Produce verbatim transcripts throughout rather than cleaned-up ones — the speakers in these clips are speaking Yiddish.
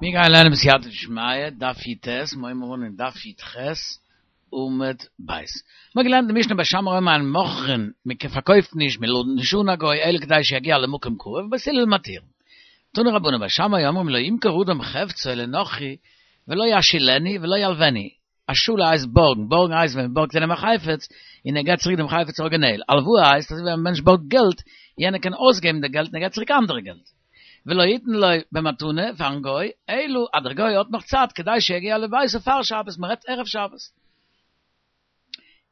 מיר גייען לערנען בסייעתא דשמיא, דף י"ט, מיר הייבן אן אין דף י"ח, עמוד ב'. מ'האט געלערנט די משנה בית שמאי אומרים אין מוכרין, מען פארקויפט נישט, מען לאדנט נישט אן א גוי, אלא כדי שיגיע למקום קרוב, ובית הלל מתירין. תנו רבנן בית שמאי אומרים לא ימכור אדם חפצו לנכרי ולא ישאילנו ולא ילוונו. השאלה הייסט בארגן, בארגן הייסט ווען מען בארגט איינעם א חפץ און ער געבט צוריק דעם חפץ אריגינעל, הלוואה הייסט אזוי ווי א מענטש בארגט געלט, יענער קען אויסגעבן די געלט און ער געבט צוריק אנדערע געלט. ולא יתן לו במתנה פארן גוי, אלא אז דער גוי האט נאך צייט כדי שיגיע לביתו פאר שבת, מען רעדט ערב שבת.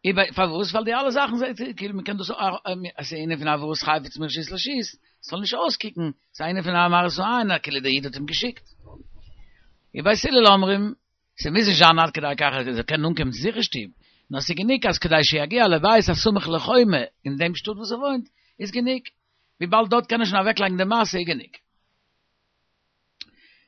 איבער פארוואס? ווייל די אלע זאכן זעט כאילו מען קען דאס עס איז ענין פון העברת חפץ מרשות לרשות, ס'זאל נישט אויסקוקן, ס'איז א ענין פון א מראית עין כאילו דער איד האט אים געשיקט. ובית הלל אומרים, ס'מוז נישט זיין עד כדי כך אז ער זאל קענען אנקומען צו זיך אין שטוב, נאר ס'איז גענוג אז כדי שיגיע לבית הסמוך לחומה אין דעם שטאט וואס ער וואוינט, איז גענוג, וויבאלד דארט קען ער שוין אוועקלייגן די משא איז גענוג.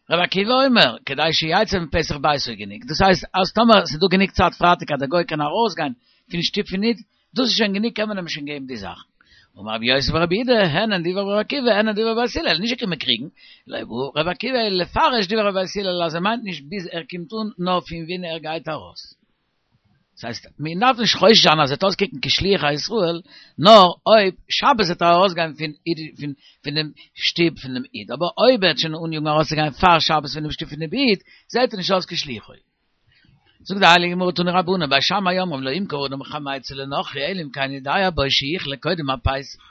רבי עקיבא אומר, כדי שיצא מפתח ביתו איז גענוג, דאס הייסט אז טאמער ס'איז דא גענוג צייט פרייטאג אז דער גוי קען ארויסגיין פון שטוב פון איד, דאס איז שוין גענוג קען מען אים שוין געבן די זאכן. אמר רבי יוסי ברבי יהודה, הן הן דברי רבי עקיבא, הן הן דברי בית הלל, נישט געקומען קריגן, לא בעי רבי עקיבא אלא לפרש דברי בית הלל אז ער מיינט נישט ביז ער קומט אן נאר פון ווען ער גייט ארויס. דאס הייסט, מען דארף נישט חושש זיין אז ער וועט אויסקוקן כשליח הישראל, נאר אויב שבת וועט ער ארויסגיין פון פון פון דעם שטוב פון דעם איד, אבער אויב ער וועט שוין אניאגן ארויסצוגיין פאר שבת פון דעם שטוב פון דעם איד, זעט ער נישט אויס כשליחו. זאגט די הייליגע גמרא תנו רבנן בית שמאי אומרים לא ימכור אדם חמיצו לנכרי אלא אם כן יודע בו שיכלה קודם הפסח,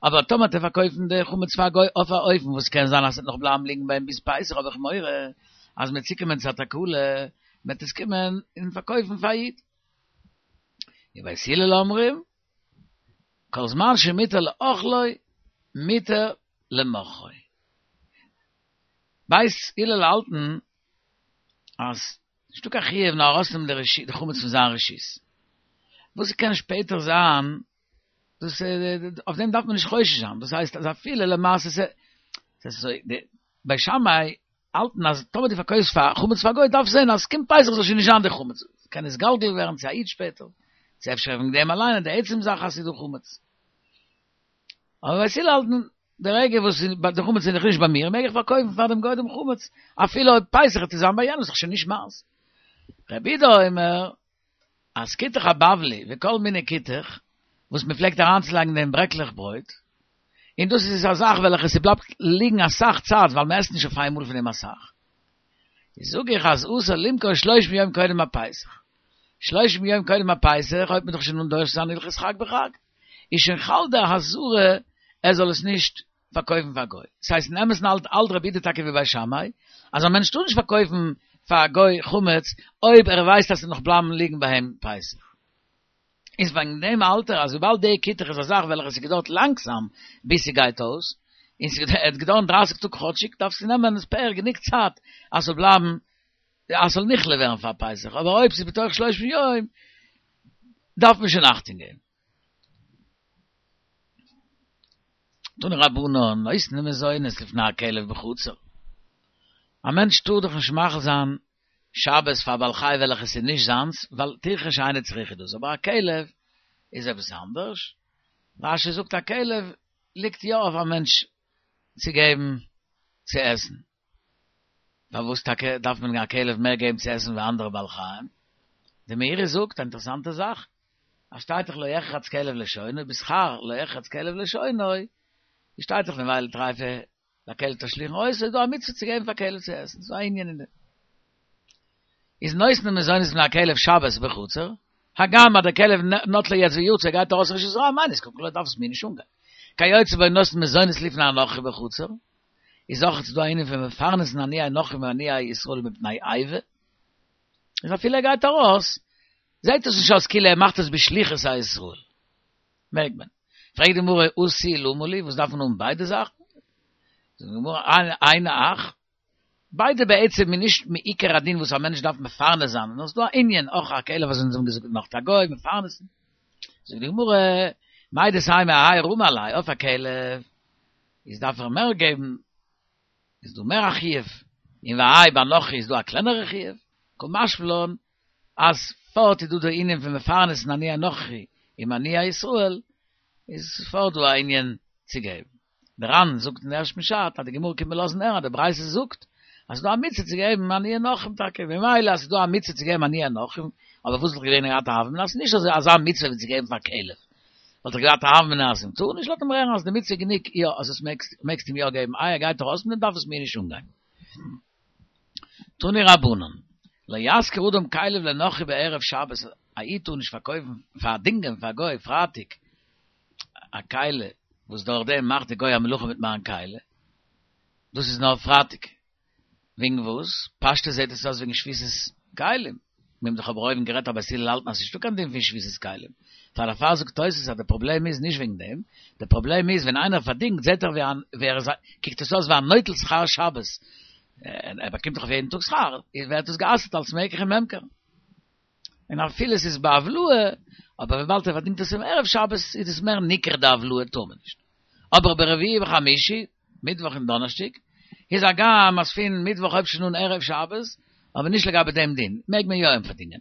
אבער טאמער וועט ער פארקויפן די חמץ פאר א גוי אויף א אופן וואס קען זיין אז ס'וועט נאך בלייבן ליגן ביי אים ביז פסח האב איך מורא אז מ'וועט צוקומען צו א תקלה מ'וועט עס קומען און פארקויפן פאר א איד. ובית הלל אומרים כל זמן שמותר לאוכלו מותר למוכרו. בית הלל האלטן אז נישטא קיין חיוב נאר ארויסנעמען די חמץ פון זיין רשות. וואס ס'קען שפעטער זיין, דאס אויף דעם דארף מען נישט חושש זיין, דאס הייסט אז אפילו למעשה ס'איז אזוי, די בית שמאי האלטן אז טאמער דו פארקויפסט פאר חמץ פאר א גוי דארפסט זען אז ס'קומט פסח זאל שוין נישט זיין די חמץ, ס'קען נתגלגל ווערן צו א איד שפעטער, צו אפשר וועגן דעם אליין די עצם זאך אז ס'איז דא חמץ. אבער בית הלל האלטן די רגע וואס די חמץ איז נאך נישט ביי מיר, מעג איך פארקויפן פאר דעם גוי דעם חמץ, אפילו אויב פסח וועט עס זיין ביי יענעם, איז דאך שוין נישט מיינס. רבי יהודה אומר, אז כותח הבבלי וכל מיני כותח, וואס מען פלעגט אריינצולייגן אין דעם ברעקלעך ברויט, און דאס איז א זאך וועלכע ס'בלייבט ליגן אסאך צייט ווייל מען עסט נישט אויף איינמאל פון דעם אסאך, זאג איך אז אסור למכור שלושים יום קודם הפסח. שלושים יום קודם הפסח הויבט מען דאך שוין אן דורש זיין הלכות חג בחג. איז שוין חל די אזהרה ער זאל עס נישט פארקויפן פאר א גוי. ס'הייסט אין אמת'ן האלט האלט רבי יהודה טאקע ווי בית שמאי, אז א מענטש טאר נישט פארקויפן פאר א גוי חמץ אויב ער ווייסט אז ס'וועט נאך בלייבן ליגן ביי אים פסח. איז וועגן דעם האלט ער אז וויבאלד די כותח איז א זאך וועלכע ס'געדויערט לאנגזאם ביז ס'גייט אויס, און ס'העט געדויערן דרייסיג טאג כאטשיג, דארפסטו נעמען ספעיר גענוג צייט אז ס'זאל בלייבן אז ס'זאל נכלה ווערן פאר פסח, אבער אויב ס'איז בתוך שלושים יום דארף מען שוין אכטונג געבן. תנו רבנן, נותנין מזונות לפני הכלב בחצר. א מענטש טאר דאך נישט מאכיל זיין שבת פאר א בעל חי וועלכע ס'איז נישט זיינס, ווייל טירחא שאינה צריכה דאס, אבער א כלב איז עפעס אנדערש. רש"י זאגט א כלב ליגט יא אויף א מענטש צו געבן צו עסן. פארוואס טאקע דארף מען א כלב מער געבן צו עסן ווי אנדערע בעלי חיים? די מאירי זאגט א אינטערעסאנטע זאך, אז שטייט דאך לא יחרץ כלב לשונו, בשכר לא יחרץ כלב לשונו, שטייט דאך נבילה טריפה לכלב תשליכון אותה, איז דא א מצוה צו געבן פאר כלב צו עסן, ס'איז דא א ענין אין דעם. איז נותנין מזונות לפני הכלב שבת בחצר, הגם אז דער כלב נטלו יעצט ויצא גייט ארויס רשות הרבים, אינו נזקק לו דארף עס מיר נישט אנגיין. כיוצא בו נותנין מזונות לפני הנכרי בחצר, איז אויך דא א ענין פון מפרנסין עניי נכרים ועניי ישראל מפני איבה, איז אפילו ער גייט ארויס, זעט עס נישט אויס כאילו ער מאכט עס בשליחות הישראל. מעג מען. פרעגט די גמרא הא תו למה לי, וואס דארף מען האבן ביידע זאכן? זאגט די גמרא היינו הך, ביידע בעצם איז נישט מעיקר הדין וואס א מענטש דארף מפרנס זיין, נאר ס'איז דא א ענין, אויך א כלב וואס אונז האבן געזאגט נאך א גוי מפרנסן. זאגט די גמרא, מהו דתימא אהאי רמי עליה, אויף א כלב איז דארף ער מער געבן, איז דא מער א חיוב, און והאי ביי נכרי איז דא א קלענערע חיוב, קא משמע לן אז פארט איז דא די ענין פון מפרנסין עניי נכרי עם עניי ישראל, איז פארט דא א ענין צו געבן. דער ר"ן זאגט אין ערשטן פשט אז די גמרא קומט מיר לאזן הערן אז די ברייתא זאגט אז ס'דא א מצוה צו געבן עניי נכרים טאקע, ממילא אז ס'דא א מצוה צו געבן עניי נכרים, אבער וואס וואלט געווען געהאט א הוה אמינא אז ס'איז נישט אזוי אזא מצוה ווי צו געבן פאר כלב, וואלט איך געהאט א הוה אמינא אז מ'טאר נישט, לאזט אים רעכענען אז די מצוה איז גענוג יא אז עס מעגסט מעגסט אים יא געבן, איי ער גייט ארויס מיט דעם דארף עס מיר נישט אנגיין. תנו רבנן, לא ישכיר אדם כליו לנכרי בערב שבת, א איד טאר נישט פארקויפן, פארדינגען פאר א גוי פרייטאג א כלי וואס דורך דעם מאכט די גוי א מלאכה מיט מיין כלי, דאס איז נאר פרייטאג. וועגן וואס? פשטות זעט עס אויס וועגן שביתת כלים. מיר האבן דאך אבער אויבן גערעדט אז בית הלל האלטן אז ס'נישטא קיין דין פון שביתת כלים. פאר דערפאר זאגט תוס' אז די פראבלעם איז נישט וועגן דעם, די פראבלעם איז ווען איינער פארדינגט זעט ער ווי ער איז קוקט עס אויס ווי א נוטל שכר שבת, ער באקומט דאך אויף יעדן טאג שכר, ווערט עס גע'אסר'ט אלס מקח וממכר. און אפילו עס איז בהבלעה, אבער וויבאלד ער פארדינגט עס אום ערב שבת איז עס מער ניכר די הבלעה טאר מען נישט. אבער ברביעי וחמישי, מיטוואך און דאנערשטאג, איז הגם אז פון מיטוואך הויבט שוין אן ערב שבת, אבער נישט לגבי דעם דין, מעג מען יא אים פארדינגען.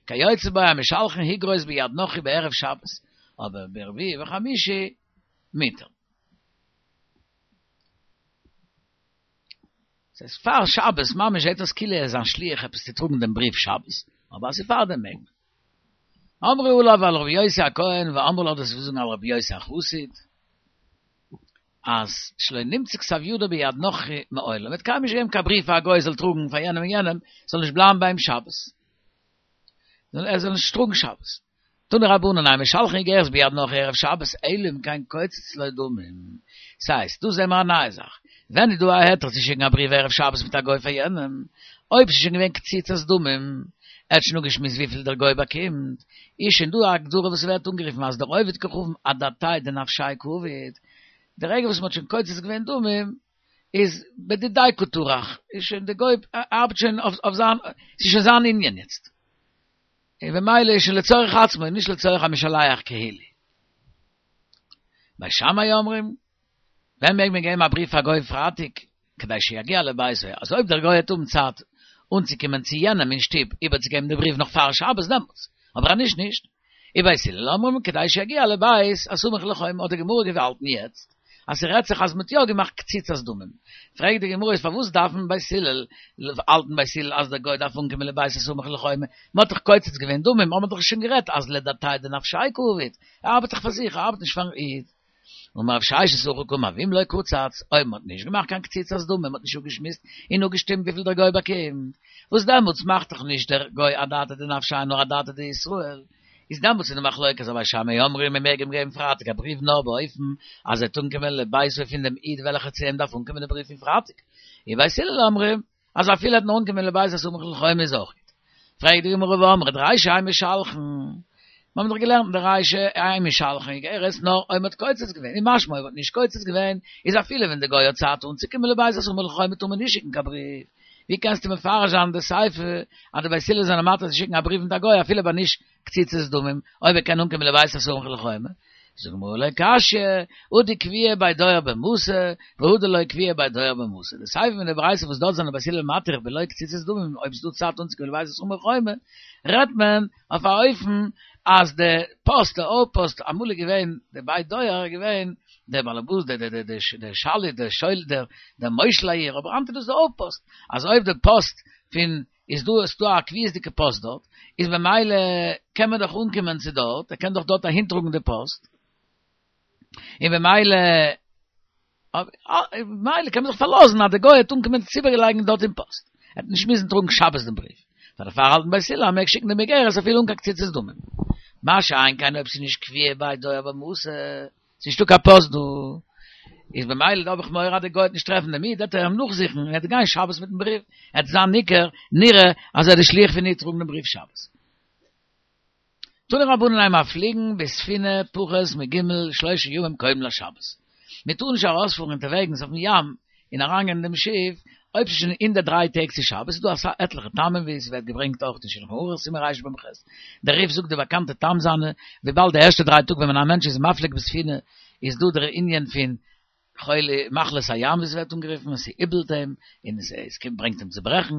כיוצא בו המשלחין איגרות ביד נכרי בערב שבת, אבער ברביעי וחמישי מותר. ס'איז פאר שבת ממש זעט אויס כאילו ער איז זיין שליח עפעס צו טראגן דעם בריוו שבת, אבער אז ס'איז פאר דעם מעג מען. אמרו עליו על רבי יוסי הכהן ואמרי לה דאס זאגן על רבי יוסי החסיד אז שלא נמצא כתב ידו ביד נכרי מעולם, ער האט קיינמאל נישט געגעבן קיין בריוו פאר א גוי זאל טראגן פאר יענעם און יענעם, ס'זאל נישט בלייבן ביי אים שבת, ער זאל נישט טראגן שבת. תנו רבנן אין משלחין איגרת ביד נכרי ערב שבת אלא אם כן קוצץ לו דמים. ס'הייסט, דא זעהן מיר א נייע זאך. ווען איז דא א היתר צו שיקן א בריוו ערב שבת מיט א גוי פאר יענעם? אויב ס'איז שוין געווען קציצת דמים, ער האט שוין אפגעשמועסט וויפיל דער גוי באקומט, איז שוין דא א הגדרה וואס ווערט אנגערופן אז דער עובד כוכבים אדעתיה דנפשיה קעביד, די רגע וואס מ'האט שוין קוצץ געווען דמים, איז בדידיה קא טרח, איז שוין די גוי ארבעט שוין אויף זיין, ס'איז שוין זיין ענין יעצט. און במילא איז שוין לצורך עצמו און נישט לצורך המשלח כאילו. בית שמאי אומרים, ווען מעג מען געבן א בריוו פאר גוי פרייטאג, כדי שיגיע לביתו, אז אויב דער גוי וועט האבן צייט אנצוקומען צו יענעם אין שטוב איבערצוגעבן די בריוו נאך פאר שבת דעמאלטס, אבער אז נישט נישט. ובית הלל אומרים כדי שיגיע לבית הסמוך לחומה האט די גמרא געהאלטן יעצט אז ס'רעדט זיך אז מ'האט יא געמאכט קציצת דמים, פרעגט די גמרא איז פארוואס דארפן בית הלל האלטן בית הלל אז דער גוי דארף אנקומען לבית הסמוך לחומה, מ'האט דאך קוצץ געווען דמים האט מען דאך שוין גערעדט אז לדעתיה דנפשיה קעביד, ער ארבעט דאך פאר זיך ער ארבעט נישט פארן איד. אמר רב ששת הכי קאמר ואם לא קצץ, אויב מ'האט נישט געמאכט קיין קציצת דמים, מ'האט נישט אפגעשמועסט און אפגעשטימט וויפיל דער גוי באקומט, וואס דעמאלטס מאכט דאך נישט דער גוי אדעתא דנפשיה נאר אדעתא דישראל, איז דעמאלטס איז די מחלוקת אז בית שמאי אומרים מען מעג אים געבן פרייטאג א בריוו נאר באופן אז ער וועט אנקומען לביתו פון דעם איד וועלכער צו אים דארף אנקומען די בריוו פון פרייטאג, און בית הלל אומרים אז אפילו ער וועט נאר אנקומען לבית הסמוך לחומה איז אויך גוט. פרעגט די גמרא והאמרת רישא אין משלחין, מיר האבן דאך געלערנט אין די רישא אין משלחין איגרת נאר אויב מ'האט קוצץ געווען, און משמע אויב מ'האט נישט קוצץ געווען איז אפילו ווען די גוי האט צייט אנצוקומען לבית הסמוך לחומה טאר מען נישט שיקן קיין בריוו, ווי קענסטו מפרש זיין די סיפא אז די בית הלל זענען מתיר צו שיקן א בריוו מיט א גוי אפילו ביי נישט קציצת דמים אויב ער קען אנקומען לבית הסמוך לחומה? זאגט די גמרא לא קשיא, הא דקביעא בי דואר במתא, והא דלא קביעא בי דואר במתא. די סיפא פון די ברייתא וואס דארט זענען בית הלל מתיר בלא קציצת דמים אויב ס'דא צייט אנצוקומען לבית הסמוך לחומה, רעדט מען אויף א אופן אז די פאסט, די אויפפאסט, אמאל איז געווען די בית דואר איז געווען דער באלעבאס, דער דער דער דער שליט, דער שולט, דער דער מושל העיר, אבער היינט איז דאס די אויפפאסט, אז אויב די פאסט פון איז דא איז דא א קביעות'דיגע פאסט דארט, איז במילא קען מען דאך אנקומען צו דארט, ער קען דאך דארט אהינטראגן די פאסט, און במילא במילא קען מען זיך פארלאזן אז דער גוי וועט אנקומען עס איבערלייגן דארט אין פאסט, ער וועט נישט מוזן טראגן שבת דעם בריוו, פאר דערפאר האלטן בית הלל אז מ'מעג שיקן דעם איגרת אפילו אן קיין קציצת דמים. מה שאין כן אויב ס'איז נישט קביעא בי דואר במתא, ס'איז נישטא קיין פאסט דא, איז במילא דא האב איך מורא אז דער גוי וועט נישט טרעפן דעם איד, וועט ער אים נאכזוכן און ער וועט גיין שבת מיטן בריוו, ער וועט זיין ניכר, נראה, אז ער איז די שליח פון איד טראגן דעם בריוו שבת. תנו רבנן אין מפליגין בספינה פחות מג' שלושה ימים קודם לשבת. מען טאר נישט ארויספארן אונטערוועגנס אויפן ים און אריינגיין אין דעם שיף אויב ס'איז שוין אין די דריי טעג צו שבת, ס'איז דא אסאך עטליכע טעמים ווי ס'ווערט געברענגט אויך אין שלחן ערוך סימן רמ"ח, דער רי"ף זאגט די באקאנטע טעם זיינע, וויבאלד די ערשטע דריי טאג ווען מען א מענטש איז מפליג בספינה איז דא דער ענין פון חולי מחלת הים ווי ס'ווערט אנגערופן, עס איבלט אים און עס ברענגט אים צו ברעכן,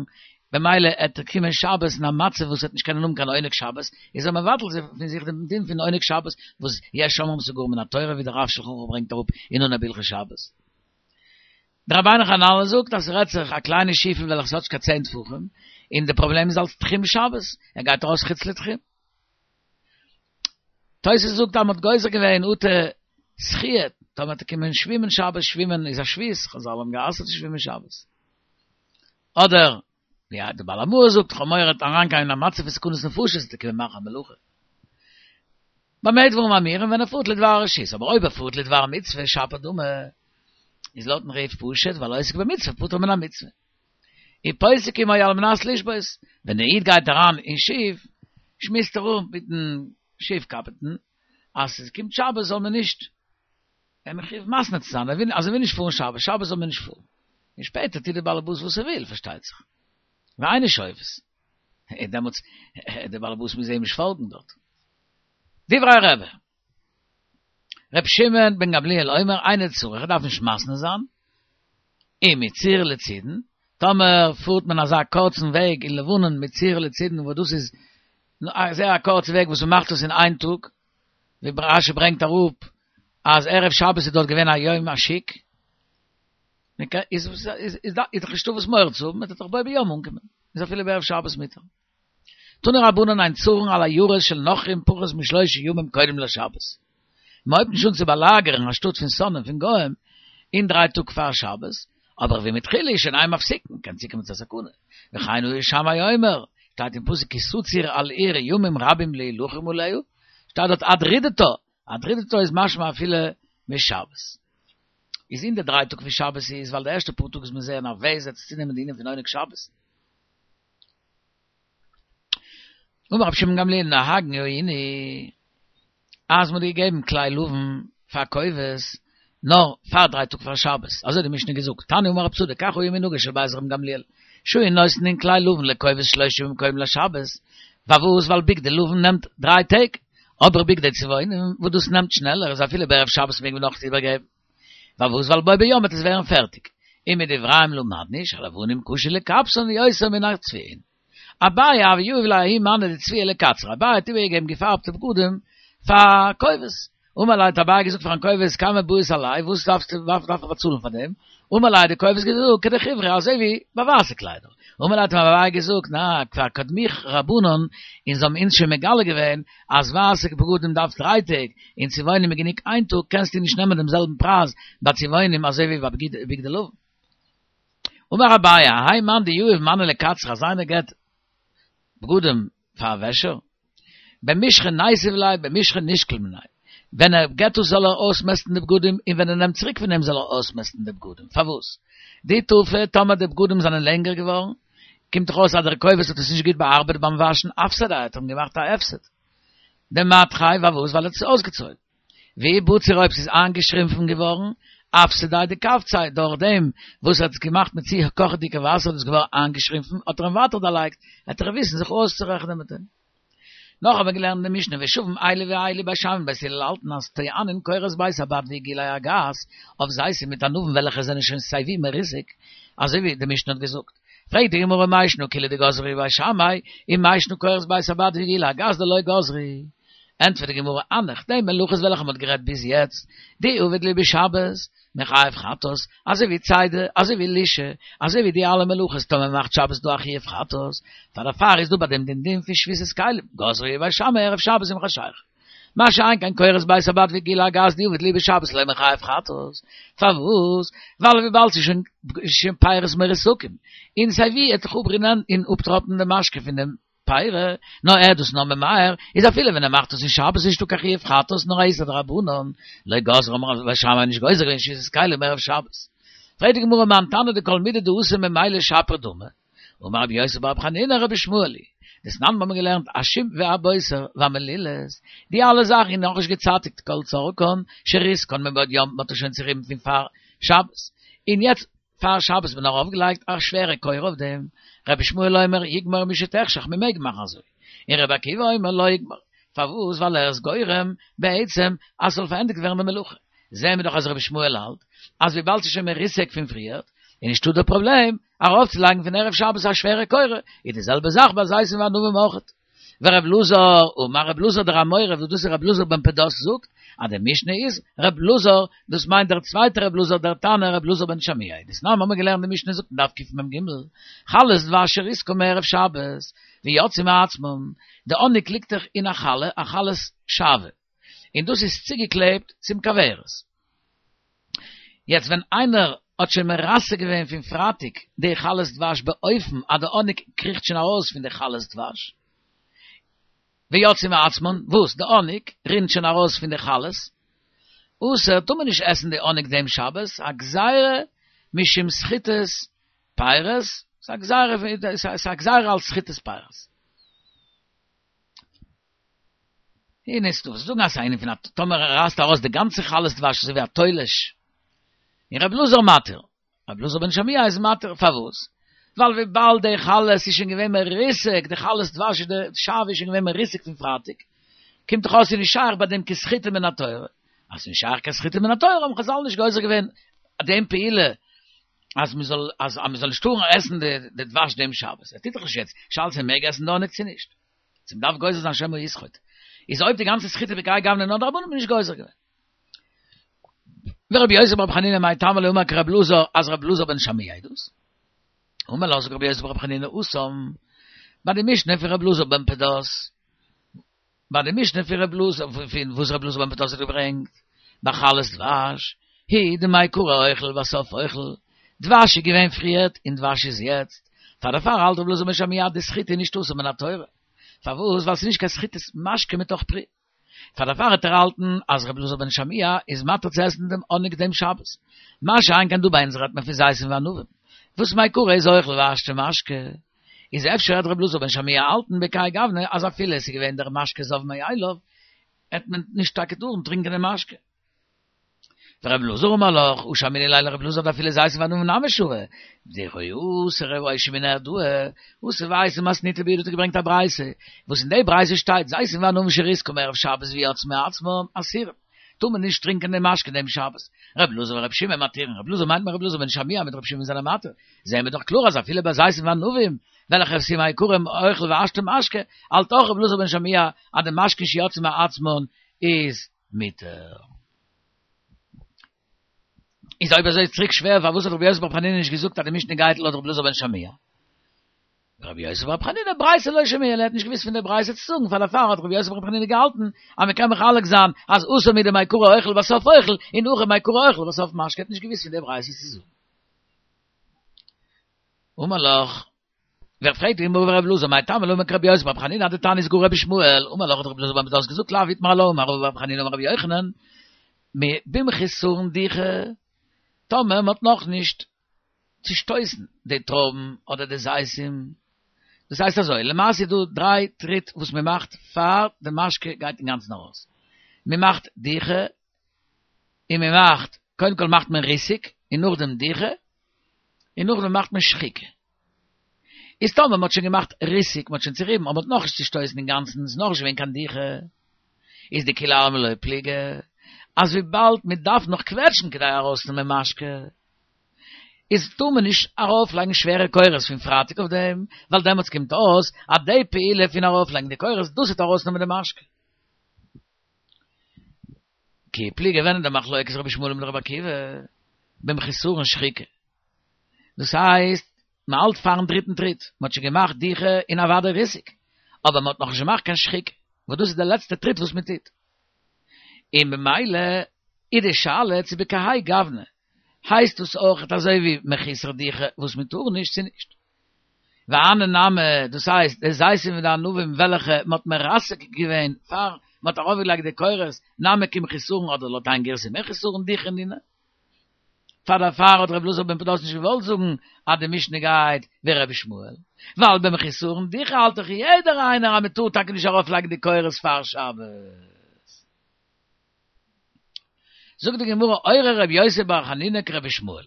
במילא עט ער קומען שבת אין א מצב וואס ער וועט נישט קענען האבן קיין עונג שבת, איז ער מבטל פון זיך דעם דין פון עונג שבת וואס יש אומרים ס'גאר מן התורה ווי דער רב שלחן ערוך ברענגט אראפ אין אנהייב הלכות שבת. דער רבינו חננאל זאגט, אז ס'רעדט זיך א קליינע שיפל וועלכע האט נישט קיין צען טפחים, און דער פראבלעם איז אלס תחום שבת, ער גייט ארויס חוץ לתחום. תוס' זאגט אז מ'האט גוזר געווען אטו שחיה, טאמער וועט ער קומען שווימען שבת, שווימען איז א שבות, חז"ל האבן גע'אסר'ט צו שווימען שבת. אדער, ווי דער בעל המאור זאגט, כ'האב מורא ער וועט אריינגיין אין א מצב פון סכנת נפשות, וועט ער קומען מאכן א מלאכה. במה דברים אמורים ווען ער פארט לדבר הרשות, אבער אויב ער פארט לדבר מצוה, שפיר דמי, איז לויטן רי"ף פשוט, ווייל העוסק במצוה פטור מן המצוה. ופוסק עמו על מנת לשבות, ווען דער איד גייט אריין אין שיף, שמועסט ער אפ מיטן שיף קאפיטן, אז עס קומט שבת זאל מען נישט, ער מחויב מתנה צו זיין, ער וויל, אז ער וויל נישט פארן שבת, שבת זאל מען נישט פארן. און שפעטער טוט דער בעל הבית וואס ער וויל, פארשטייט זיך. ואינו שובת. דעמאלטס, דער בעל הבית מוז אים נישט פאלגן דארט. דברי רבי. ר' שמעון בן גמליאל אומר, אינו צריך, ער דארף נישט מתנה זיין, אם מצור לצידון, טאמער פארט מען אזא קורצן וועג אין לבנון מצור לצידון וואס דאס איז א זייער א קורצע וועג וואס מ'מאכט עס אין איין טאג, ווי רש"י ברענגט אראפ אז ערב שבת איז דארט געווען א יום השוק, איז איז דאך נישטא וואס מורא צו האבן, מ'וועט דאך בו ביום אנקומען, איז אפילו בערב שבת מותר. תנו רבנן אין צרין על עיירות של נכרים פחות משלושה ימים קודם לשבת. מען הויבט נישט אן צו באלאגערן א שטאט פון שונאים פון גוים אין דריי טאג פאר שבת, אבער ואם התחילו שוין אין מפסיקין, קען צוקומען צו א סכנה. וכן היה שמאי אומר, שטייט אין פסוק כי תצור אל עיר ימים רבים להילחם עליה, שטייט דארט עד רדתה, עד רדתה איז משמע אפילו משבת. איז אין די דריי טאג פון שבת איז ווייל די ערשטע פאר טאג איז מען זייער נערוועז עס צו נעמען די ענין פון עונג שבת. אמר רבי שמעון גמליאל נוהגין היינו אז מ'האט געגעבן כלי לבן פאר כובס נאר פאר דריי טאג פאר שבת, אזוי האט די משנה געזאגט, תניא אמר רב צדוק כך היה מנהגו של בית רבן גמליאל, שהיו נותנין כלי לבן לכובס שלושה ימים קודם לשבת, פארוואס ווייל בגדי לבן נעמט דריי טעג, אבער בגדי צבעונים וואס דאס נעמט שנעלער איז אפילו בערב שבת מעג מען נאך איבערגעבן, פארוואס ווייל בו ביום וועט עס ווערן פערטיג, ומדבריהם למדנו שהלבנים קשה לכבסן יותר מן הצבועין. אביי הוה יהיב ליה ההוא מאני דצביעא לקצריה, אביי האט איבערגעגעבן געפארבטע בגדים פאר כובס, אמר ליה האט אביי געזאגט פארן כובס כמה בעית עלייהו וואס דארפסטו דארף איך באצאלן פאר דעם, אמר ליה האט די כובס געזאגט כדחיברי אזוי ווי ביי ווייסע קליידער, אמר ליה האט אים אביי געזאגט נא כבר קדמוך רבנן און זיי האבן אונז שוין מגלה געווען אז ווייסע בגדים דארף דריי טעג און צבעונים איז גענוג איין טאג קענסטו נישט נעמען דעם זעלבן פרייז ביי צבעונים אזוי ווי ביי בגדי לבן. אמר אביי, האי מאן דיהיב מאני לקצריה, אז איינער געט בגדים פאר א וועשער, במישחא ניתיב ליה במישחא נישקול מיניה, ווען ער געט עס זאל ער אויסמעסטן די בגדים און ווען ער נעמט צוריק פון אים זאל ער אויסמעסטן די בגדים, פארוואס? דאי טפי, טאמער די בגדים זענען לענגער געווארן, קומט דאך אויס אז דער כובס האט עס נישט גוט באארבעט ביים וואשן, אפסדיה, האט ער אים געמאכט א הפסד. דמתחיה, פארוואס? ווייל ער האט עס אויסגעצויגן. ואי בציר אויב ס'איז איינגעשרימפן געווארן, אפסדיה דכווציה, דורך דעם וואס ער האט עס געמאכט מיט צו קאכעדיגע וואסער איז עס געווארן איינגעשרימפן, האט ער אים ווייטער דערלייגט, וועט ער וויסן זיך אויסצורעכענען מיט אים. נאך האבן מיר געלערנט אין די משנה ושווין אלו ואלו בית שמאי ובית הלל האלטן אז טוענין קורות בית הבד ועיגולי הגת אויף זיתים מיט ענבים וועלכע זענען שוין סייווי מרוסק, אזוי ווי די משנה האט געזאגט. פרעגט די גמרא מאי שנא כולהו דגזרו בית שמאי, ומאי שנא קורות בית הבד ועיגולי הגת דלא גזרו. ענטפערט די גמרא, הנך, די מלאכות וועלכע מ'האט גערעדט ביז יעצט, דאי עביד להו בשבת, מיחייב חטאת, אזוי ווי צידה, אזוי ווי לישה, אזוי ווי די אלע מלאכות טאמער מ'מאכט שבת איז דא א חיוב חטאת, פאר דערפאר איז דא ביי דעם דעם דין פון שביתת כלים, גזרו בית שמאי ערב שבת עם חשיכה. מה שאין כן קורות בית הבד ועיגולי הגת דאי עביד להו בשבת לא מיחייב חטאת, פארוואס? ווייל וויבאלד ס'איז שוין שוין פירות מרוסקים, און סיי ווי עט זיך אפרינען און אפטראפן די משקה פון דעם פירי, נאר ער איז דאס נאר ממהר, איז אפילו ווען ער מאכט עס אין שבת איז נישטא קיין חיוב חטאת נאר א איסור דרבנן, לא גזרו האבן בית שמאי נישט גוזר געווען שביתת כלים ערב שבת. פרעגט די גמרא מאן תנא דכל מידי דאתי ממילא שפיר דמי, אמר רבי יוסי ברבי חנינא רבי ישמעאל היא, דתנן מיר האבן געלערנט השום והבוסר והמלולת, די אלע זאכן איז נאכנישט געצייטיגט כל צרכן שריסקן מבעוד יום, מען האט עס שוין צוריבן פון פאר שבת, און יעצט פאר שבת האט מען ארויף געלייגט א שווערע כורה אויף דעם, רבי ישמעאל אומר יגמור משתחשך מען מעג מאכן אזוי, און רבי עקיבא אומר לא יגמור, פארוואס ווייל ער איז גורם בעצם אז ס'זאל פארענדיגט ווערן די מלאכה, זעהן מיר דאך אז רבי ישמעאל האלט אז וויבאלד ס'איז שוין מרוסק פון פריערט איז נישטא דער פראבלעם ארויף צו לייגן פון ערב שבת א שווערע כורה, איז די זעלבע זאך ביי זיתים וענבים אויכעט. ורב לוזר, אמר רב לוזר דער אמורא, וואס דאס איז רב לוזר בן פדת זאגט, אז די משנה איז רב לוזר, דאס מיינט דער צווייטער רב לוזר, דער תנא רב לוזר בן שמוע. דתנן האבן מיר געלערנט די משנה זאגט אין דף קמ"ג, חלות דבש שריסקן מערב שבת, ויצאו מעצמן, די האניג ליגט דאך אין א חלה, א חלת שעוה, און דאס איז צוגעקלעבט צום כוורת. יעצט ווען איינער האט שוין מרסק געווען פון פרייטאג די חלת דבש באופן אז די האניג קריכט שוין ארויס פון די חלת דבש, ויצאו מעצמן, וואס? די האניג רינט שוין ארויס פון די חלות, אסור, טאר מען נישט עסן די האניג דעם שבת, א גזירה משום סחיטת פירות, ס'איז א גזירה, ס'איז א גזירה אלס סחיטת פירות. הנה איז דא וואס זאגן אז ס'איז א ענין פון א טאמער ער רייסט ארויס די גאנצע חלת דבש אזוי ווי א תולש, און רב אלעזר מתיר, רב אלעזר בן שמוע איז מתיר, פארוואס? ווייל וויבאלד די חלות איז שוין געווען מרוסק, די חלת דבש די שעוה איז שוין געווען מרוסק פון פרייטאג, קומט דאך אויס ס'איז נישט שייך ביי דעם קיין סחיטה מן התורה, אז ס'איז נישט שייך קיין סחיטה מן התורה האבן חזל נישט גוזר געווען דעם פעולה אז מ'זאל אז מ'זאל נישט טארן עסן די דבש דעם שבת, ער טוט דאך נישט יעצט, שאלה צו מ'מעג עסן די האניג צו נישט, צו מ'דארף גוזר זיין שמא יסחוט, איז אויב די גאנצע סחיטה בכהאי גוונא נאר דרבנן האט מען נישט גוזר געווען. ורבי יוסי ברבי חנינא מאי טעמא לא אמר כרבי אלעזר אז רבי אלעזר בן שמוע איז דאס? אמר לך זאגט רבי יוסי ברבי חנינא התם ביי די משנה פון רבי אלעזר בן פדת ביי די משנה פון רבי אלעזר פון וואס רבי אלעזר בן פדת האט געברענגט ביי חלת דבש היא דמעיקרא אוכל ולבסוף אוכל דבש איז געווען פריערט און דבש איז יעצט פאר דערפאר האלט רבי אלעזר בן שמוע אז די סחיטה איז נישט אסור מן התורה פארוואס ווייל ס'איז נישט קיין סחיטת משקה מתוך פרי פאר דערפאר וועט ער האלטן אז רבי אלעזר בן שמוע איז מתיר צו עסן דעם האניג דעם שבת. מה שאין כן דא ביי אונז רעדט מען פון זיתים וענבים, וואס מעיקרא איז אוכל והשתא משקה, איז אפשר וועט רבי אלעזר בן שמוע האלטן בכהאי גוונא אז אפילו עס איז געווען דער משקה זב מאליו, העט מען נישט טאקע טארן טרינקען דעם משקה. ורבי אלעזר אמר לך, הא שמעינן ליה לרבי אלעזר דאפילו זיתים וענבים נמי שרי, דכי אתא רב אשי מנהרדעא, אתא ואייתי מתניתא בידא האט ער געברענגט א ברייתא, וואס אין די ברייתא שטייט זיתים וענבים שריסקום ערב שבת ויצאו מעצמם אסורים, טאר מען נישט טרינקען דעם משקה דעם שבת, רבי אלעזר ורבי שמעון מתירין, רבי אלעזר מיינט מען רבי אלעזר בן שמוע מיט רבי שמעון זענען מתיר, זעהן מיר דאך קלאר אז אפילו ביי זיתים וענבים וועלכע ס'איז מעיקרא אוכל והשתא משקה, האלט אויך רבי אלעזר בן שמוע אז די משקה שיצאו מעצמן איז מותר. איז אויב אזוי איז צוריק שווער פארוואס האט רבי יוסי ברבי חנינא נישט געזאגט אז די משנה גייט לויט רבי אלעזר בן שמוע? רבי יוסי ברבי חנינא ברייתא לא שמיע ליה, ער האט נישט געוואוסט פון די ברייתא צו זאגן, פאר דערפאר האט רבי יוסי ברבי חנינא געהאלטן אז מען קען מחלק זיין אז התם הוא דמעיקרא אוכל ולבסוף אוכל, און הכא מעיקרא אוכל ולבסוף משקה, ער האט נישט געוואוסט פון די ברייתא צו זאגן. אמר לך. ווער פרעגט די גמרא ורבי אלעזר מאי טעמא לא אמר כרבי יוסי ברבי חנינא דתניא איז גאר רבי ישמעאל אמר לך האט רבי אלעזר בן פדת געזאגט לאו איתמר עלה אמר רבא בר חנינא אמר רבי יוחנן במחוסרין דיחה טאמער מ'האט נאך נישט צושטויסן די טרויבן אדער די זיתים דאס הייסט אזוי למעשה איז דא דריי טריט וואס מ'מאכט פאר די משקה גייט אינגאנצן ארויס מ'מאכט דיחה און מ'מאכט קודם כל מאכט מען ריסוק און נאכדעם דיחה און נאכדעם מאכט מען שחיקה. איז טאמער מ'האט שוין געמאכט ריסוק, מ'האט שוין צוריבן, אבער מ'האט נאכנישט צושטויסן אינגאנצן, ס'איז נאכנישט געווען קיין דיחה, איז דכולי עלמא לא פליגי, אז וויבאלד מ'דארף נאך קוועטשן כדי ארויסנעמען משקה, איז טאר מען נישט ארויפלייגן שווערע קורות פון פרייטאג אויף דעם, ווייל דעמאלטס קומט אויס אז די פעולה פון ארויפלייגן די קורות, דאס וועט ארויסנעמען די משקה. כי פליגי ווען איז די מחלוקת רבי ישמעאל מיט רבי עקיבא במחוסרין שחיקה דאס הייסט מען האלט פארן דריטן טריט מען האט שוין געמאכט דיחה און אוודאי ריסוק אבער מען האט נאכנישט געמאכט קיין שחיקה וואס דאס איז די לעצטע טריט וואס מען טוט און במילא איז די שאלה צו בכהאי גוונא הייסט דאס אויכעט אזוי ווי מחוסר דיחה וואס מען טאר נישט צו נישט. והני נמי, דאס הייסט די זיתים און די ענבים וועלכע מען האט מרסק געווען פאר מען האט ארויפגעלייגט די קורות, נמי כמחוסרין אדער לויט איין גירסא מחוסרין דיחה נינהו. פאר דערפאר האט רבי אלעזר בן פדת נישט געוואלט זאגן אז די משנה גייט ווי רבי ישמעאל, ווייל במחוסרין דיחה האלט דאך יעדער איינער אז מען טאר טאקע נישט ארויפלייגן די קורות פאר שבת. זאגט די גמרא אורה רבי יוסי בר חנינא כרבי ישמעאל,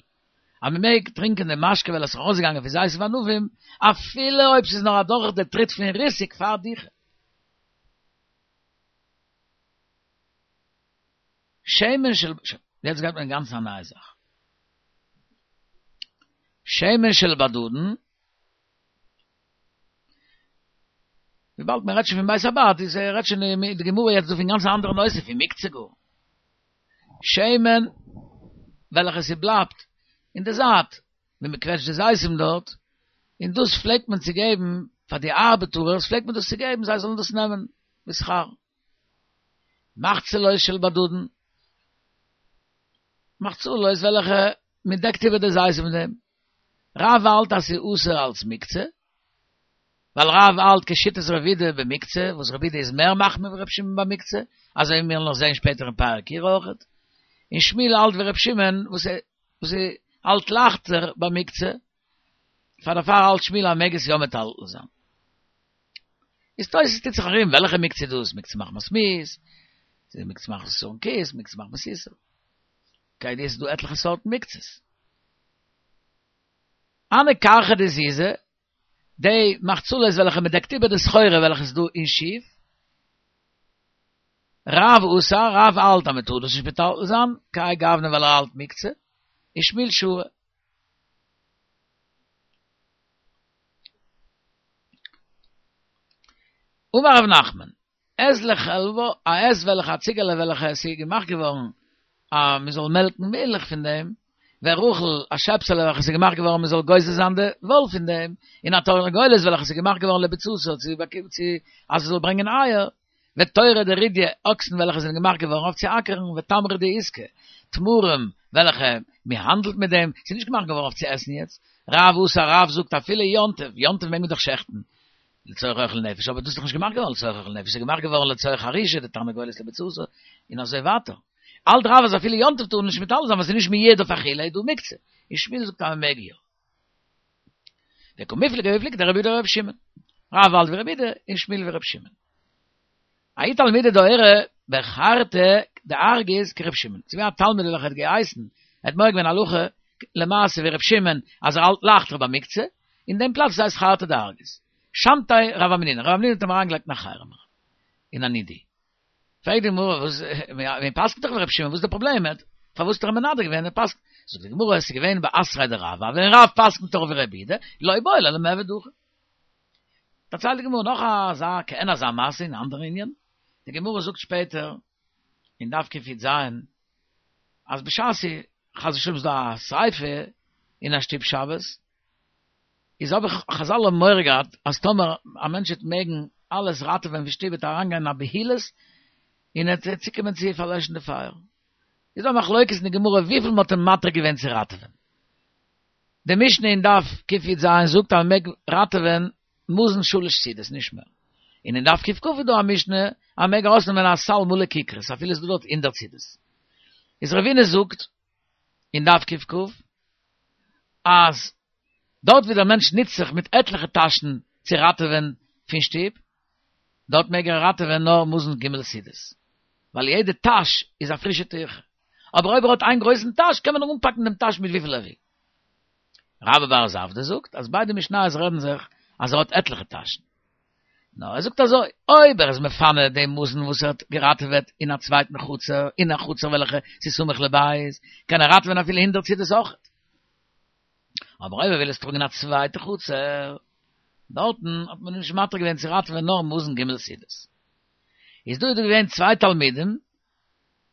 אז מען מעג טרינקען די משקה וועלכע איז ארויסגעגאנגען פון זיתים וענבים, אפילו אויב ס'איז נאר אדורך די טריט פון ריסוק פאר דיחה. שמן של, יעצט גייט מען אינגאנצן א נייע זאך. שמן של בדדן, וויבאלד מען רעדט שוין פון בית הבד, איז ער רעדט שוין מיט די גמרא יעצט דא פון גאנץ אנדערע נושא, פון מוקצה גאר. שמן, וועלכע ס'בלייבט אין די זייט, ווען מען קוועטשט די זיתים דארט, און דאס פלעגט מען צו געבן פאר די ארבעטארערס, פלעגט מען דאס צו געבן, זיי זאלן דאס נעמען בשכר. מחצלות של בדדן, מחצלות וועלכע מען דעקט איבער די זיתים מיט דעם. רב האלט אז ס'איז אסור אלס מוקצה, ווייל רב האלט כשיטת רבי יהודה במוקצה, וואס רבי יהודה איז מער מחמיר ווי רבי שמעון במוקצה, אזוי ווי מיר וועלן נאך זען שפעטער אין פרק כירה אויכעט. און שמואל האלט ווי רבי שמעון וואס וואס האלט לייכטער במוקצה, פאר דערפאר האלט שמואל אז מ'מעג עס יא מטלטל זיין. איז תוס' טוט זיך ארום וועלכע מוקצה דאס, מוקצה מחמת מיאוס, מוקצה מחמת חסרון כיס, מוקצה מחמת איסור. כידוע ס'איז דא עטליכע סארטן מוקצות. הני כרכי דזיזי, די מחצלות וועלכע מען דעקט איבער די סחורה וועלכע איז דא אין שיף, רב אסר, רב האלט אז מען טאר דאס נישט מטלטל זיין, כהאי גוונא ווייל ער האלט מוקצה, און שמואל שרי. אמר רב נחמן, עז לחלבה, א עז וועלכע א ציגעלע וועלכע עס איז געמאכט געווארן אז מען זאל מעלקן מילך פון דעם, ורחל, א שעפסעלע וועלכע עס איז געמאכט געווארן מען זאל גוזז זיין די וואל פון דעם, און א תרנגולת וועלכע עס איז געמאכט געווארן לביצתה צו צו אז עס זאל ברענגען אייער, ותורא דרידיא, אקסן וועלכע זענען געמאכט געווארן אויף צו אקערן, ותמרי דעיסקא, תמרים וועלכע מען האנדלט מיט דעם, ס'איז נישט געמאכט געווארן אויף צו עסן יעצט. רב אסר, רב זאגט אפילו יום טוב, יום טוב מעג מען דאך שעכטן לצורך אוכל נפש, אבער דאס איז דאך נישט געמאכט געווארן לצורך אוכל נפש, ס'איז געמאכט געווארן לצורך חרישה, די תרנגולת לביצתה, און אזוי ווייטער. האלט רב אז אפילו יום טוב טאר מען נישט מטלטל זיין ווייל ס'איז נישט מיועד אויף אכילה, איז דא מוקצה. און שמואל זאגט אז מען מעג יא. וקמיפלגי בפלוגתא דרבי יהודה ורבי שמעון. רב האלט ווי רבי יהודה און שמואל ווי רבי שמעון. ההוא תלמידא דאורי בחרתא דארגיז כרבי שמעון. ס'איז געווען א תלמיד וועלכער האט געהייסן, ער האט מורה געווען הלכה למעשה ווי רבי שמעון אז ער האלט לייכטער ביי מוקצה, אין דעם פלאץ וואס הייסט חרתא דארגיז. שמתיה רב המנונא, רב המנונא האט אים אריינגעלייגט אין א חרם אריין, אין א נידוי. פרעגט די גמרא וואס, מען פסק'נט דאך ווי רבי שמעון, וואס איז די פראבלעם, פארוואס האט ער אים מנדה געווען, ער פסק'נט, זאגט די גמרא עס איז געווען באתריה דרב, ווען רב פסק'נט דאך ווי רבי יהודה, לא בעי ליה למעבד הכי. דערציילט די גמרא נאך אזא כעין אזא מעשה אין א אנדערע ענין, די גמרא זאגט שפעטער אין דף קי"ז אז בשעת חס ושלום איז דא א שריפה אין א שטוב שבת, איז אבער חזל האבן מורא געהאט אז טאמער א מענטש וועט מעגן אלעס ראטעווען פון שטוב וועט ער אריינגיין אין א בהילות און ער וועט צוקומען צו פארלעשן די פייער. איז דא א מחלוקת אין די גמרא וויפיל מען האט אים מתיר געווען צו ראטעווען. די משנה אין דף קי"ז זאגט אז מען מעג ראטעווען מזון שלש סעודות נישט מער. און אין דף ק"כ איז דא א משנה אז מען מעג ארויסנעמען א סל מלא כיכרות אפילו עס איז דא דארט הונדערט סעודות. איז רבינא זאגט אין דף ק"כ אז דארט ווי דער מענטש נוצט זיך מיט עטליכע טאשן צו ראטעווען פון שטוב, דארט מעג ער ראטעווען נאר מזון ג' סעודות, ווייל יעדע טאש איז א פרישע טירחה. אבער אויב ער האט איין גרויסן טאש קען מען אנפאקן דעם טאש מיט וויפיל ער וויל. רבה בר זבדא זאגט אז ביידע משניות רעדן זיך אז ער האט עטליכע טאשן. נאר ער זאגט אזוי, אויב ער איז מפנה דעם מזון וואס ער האט געראטעוועט אין א צווייטן חצר, אין א חצר וועלכע ס'איז סמוך לבית, קען ער ראטעווען אפילו הונדערט סעודות אויכעט. אבער אויב ער וויל עס טראגן אין א צווייטע חצר, דארטן האט מען נישט מתיר געווען צו ראטעווען נאר מזון ג' סעודות. איז דא איז דא געווען צוויי תלמידים,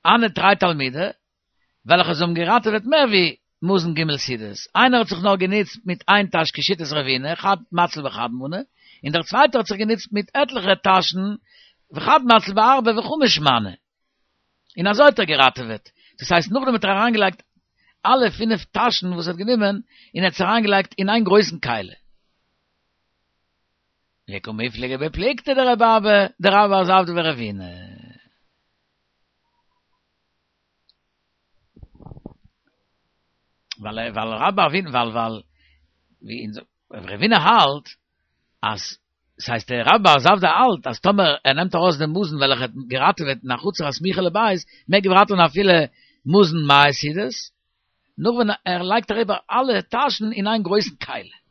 הנהו תרי תלמידי, וועלכע זיי האבן געראטעוועט מער ווי מזון ג' סעודות, איינער האט זיך נאר גענוצט מיט איין טאש כשיטת רבינא, חד מציל בחד מנה, און דער צווייטער האט זיך גענוצט מיט עטליכע טאשן, וחד מציל בארבע וחמש מני. און אזוי האט ער געראטעוועט, דאס הייסט נאכדעם האט ער אריינגעלייגט אלע פינף טאשן וואס ער האט גענומען, און ער האט עס אריינגעלייגט אין איין גרויסן כלי. וקמיפלגי בפלוגתא דרבי אבא, דרבה בר זבדא ורבינא. ווייל ווייל רבה ווייל ווייל ווי אין רבינא האלט אז ס'הייסט דער רבה בר זבדא האלט אז טאמער ער נעמט ארויס דעם מזון וועלכע האט געראטעוועט אין א חצר הסמוכה לבית מעג ער ראטעווען אפילו מזון מאה סעודות נאר ווען ער לייגט אריבער אלע טאשן אין איין גרויסן כלי.